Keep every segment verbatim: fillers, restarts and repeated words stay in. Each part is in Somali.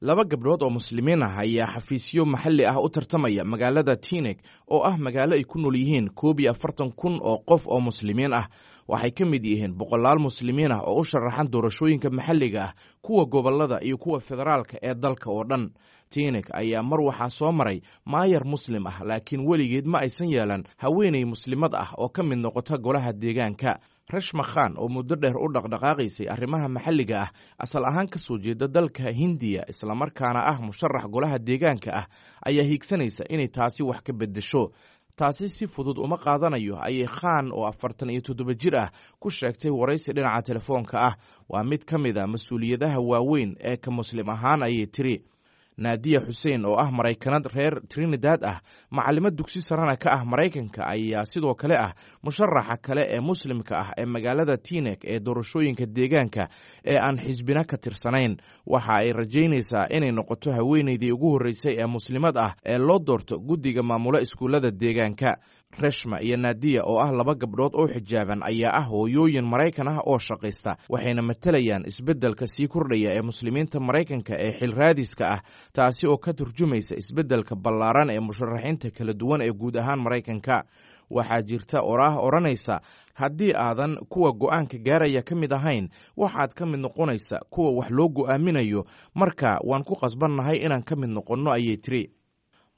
Laba gabdhood oo muslimiin ah ayaa xafiisyo maxalli ah u tartamaya magaalada Teaneck, oo ah magaalo ay ku nool yihiin koob iyo afartan kun oo qof oo muslimiin ah. Waxay ka mid yihiin boqolaal muslimiin ah oo u sharaxan doorashooyinka maxalliga ah, kuwa gobollada iyo kuwa federaalka ee dalka oo dhan. Teaneck ayaa mar waxaa soo maray maayar muslim ah, laakiin weligeed ma aysan yeelan haweeney muslimad ah oo ka mid noqota golaha deegaanka. Rashma Khan, oo muddo dheer u dhaqdhaqaaqaysay arrimaha maxalliga ah, asal ahaan ka soo jeeda dalka Hindiya, islamarkaana ah musharax golaha deegaanka ah, ayaa hiigsanaysa inay taasi wax ka beddesho. "Taasi si fudud uma qaadanayo," ayay Khan oo afartan iyo toddoba jir ah ku sheegtay waraysi dhinaca telefoonka ah. "Waa mid ka mid a mas-uuliyadaha waaweyn ee ka muslim ahaan," ayay tiri. Naadiya Xuseen, oo ah Maraykanad reer Trinidad ah, macalimad dugsi sarena ka ah Maraykanka, ayaa sidoo kale ah musharaxa kale ee muslimka ah ee magaalada Teaneck ee doorashooyinka deegaanka ee aan xisbina ka tirsanayn. Waxa ay rajaynaysaa inay noqoto haweeneydii ugu horreysay ee muslimad ah ee loo doorto guddiga maamula iskuullada deegaanka. Reshma iyo Naadiya, oo ah laba gabdhood oo xijaaban, ayaa ah hooyooyin Maraykan ah oo shaqaysta, waxayna matalayaan isbeddelka sii kordhaya ee muslimiinta Maraykanka ee xilraadiska ah, taasi oo ka turjumaysa isbeddelka ballaaran ee musharaxiinta kala duwan ee guud ahaan Maraykanka. "Waxaa jirta oraah odhanaysa: haddii aadan kuwa go'aanka gaaraya ka mid ahayn, waxaad ka mid noqonaysa kuwa wax loo go'aaminayo. Marka waan ku qasbannahay inaan ka mid noqonno," ayay tiri.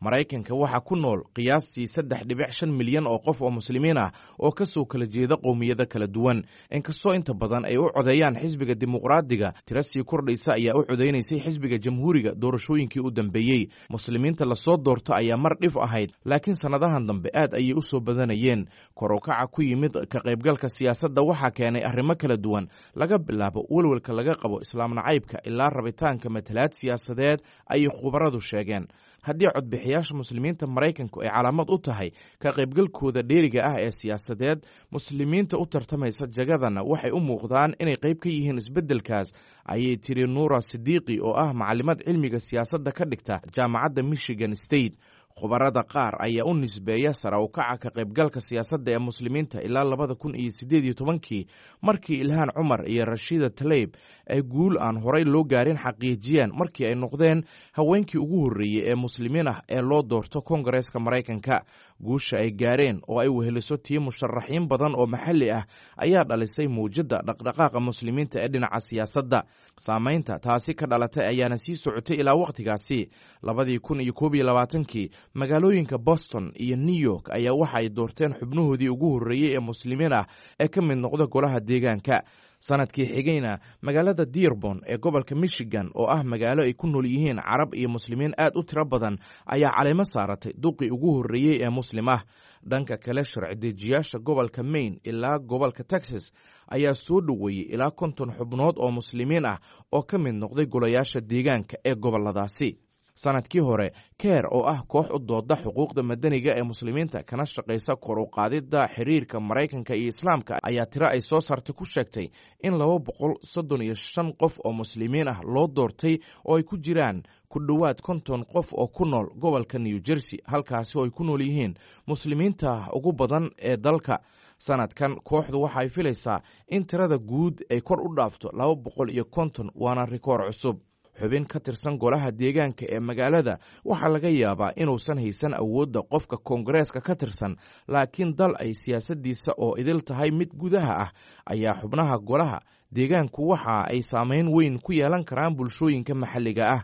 Maraykanka waxaa ku nool qiyaastii saddex dhibic shan milyan oo qof oo muslimiin ah oo ka soo kala jeeda qowmiyado kala duwan. Inkastoo inta badan ay u codeeyaan xisbiga Dimuqraadiga, tiro sii kordhaysa ayaa u codeynaysay xisbiga Jamhuuriga doorashooyinkii u dambeeyey. Muslimiinta lasoo doorto ayaa mar dhif ahayd, laakiin sannadahan dambe aad ayay u soo badanayeen. Kor u kaca ku yimid ka qaybgalka siyaasadda waxaa keenay arrimo kala duwan, laga bilaabo welwelka laga qabo islaam nacaybka ilaa rabitaanka matalaad siyaasadeed, ayay khubaradu sheegeen. Haddii codbixiyaasha muslimiinta Maraykanku ay calaamad u tahay ka qaybgalkooda dheeriga ah ee siyaasadeed, muslimiinta u tartamaysa jagadana waxay u muuqdaan inay qayb ka yihiin isbeddelkaas, ayay tiri Nuura Sidiiqi, oo ah macalimad cilmiga siyaasadda ka dhigta jaamacadda Michigan State. Khubarada qaar ayaa u nisbeeya sara u kaca ka qaybgalka siyaasadda ee muslimiinta ilaa labada kun iyo siddeed iyo tobankii, markii Ilhaan Cumar iyo Rashiida Taleyb ay guul aan horay loo gaarin xaqiijiyeen markii ay noqdeen haweenkii ugu horreeyey ee muslimiin ah ee loo doorto Koongareeska Maraykanka. Guusha ay gaareen, oo ay weheliso tii musharaxiin badan oo maxalli ah, ayaa dhalisay muwjadda dhaqdhaqaaqa muslimiinta ee dhinaca siyaasadda. Saamaynta taasi ka dhalatay ayaana sii socotay ilaa wakhtigaasi. Labadii kun iyo koob iyo labaatankii, magaalooyinka Boston iyo New York ayaa waxa ay doorteen xubnahoodii ugu horreeyey ee muslimiin ah ee ka mid noqda golaha deegaanka. Sanadkii xigayna, magaalada Dearborn ee gobolka Michigan, oo ah magaalo ay ku nool yihiin Carab iyo muslimiin aad u tiro badan, ayaa caleemo saaratay duqii ugu horreeyey ee muslim ah. Dhanka kale, sharci dejiyaasha gobolka Maine ilaa gobolka Texas ayaa soo dhoweeyey ilaa konton xubnood oo muslimiin ah oo ka mid noqday golayaasha deegaanka ee goboladaasi. Sanadkii hore, CAIR, oo ah koox u dooda xuquuqda madaniga ee muslimiinta kana shaqaysa kor u qaadidda xiriirka Maraykanka iyo Islaamka, ayaa tiro ay soo saartay ku sheegtay in laba boqol soddon iyo shan qof oo muslimiin ah loo doortay, oo ay ku jiraan ku dhowaad konton qof oo ku nool gobolka New Jersey, halkaasi oo ay ku nool yihiin muslimiinta ugu badan ee dalka. Sanadkan kooxdu waxa ay filaysaa in tirada guud ay kor u dhaafto laba boqol iyo konton, waana rikoor cusub. Xubin ka tirsan golaha deegaanka ee magaalada waxaa laga yaabaa inuusan haysan awoodda qofka koongareeska ka tirsan, laakiin dal ay siyaasaddiisa oo idil tahay mid gudaha ah ayaa xubnaha golaha deegaanku waxa ay saameyn weyn ku yeelan karaan bulshooyinka maxalliga ah.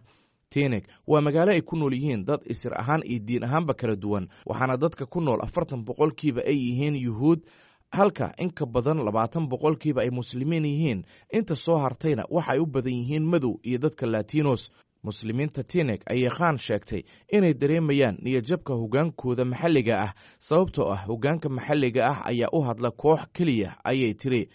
Teaneck waa magaalo ay ku nool yihiin dad isir ahaan iyo diin ahaanba kala duwan, waxaana dadka ku nool afartan boqolkiiba ay yihiin Yuhuud, halka in ka badan labaatan boqolkiiba ay muslimiin yihiin. Inta soo hartayna waxay u badan yihiin madow iyo dadka Latinos. Muslimiinta Teaneck ayay Khan sheegtay inay dareemayaan niyadjabka hoggaankooda maxalliga ah, sababtoo ah hoggaanka maxalliga ah ayaa u hadla koox keliya, ayay tiri.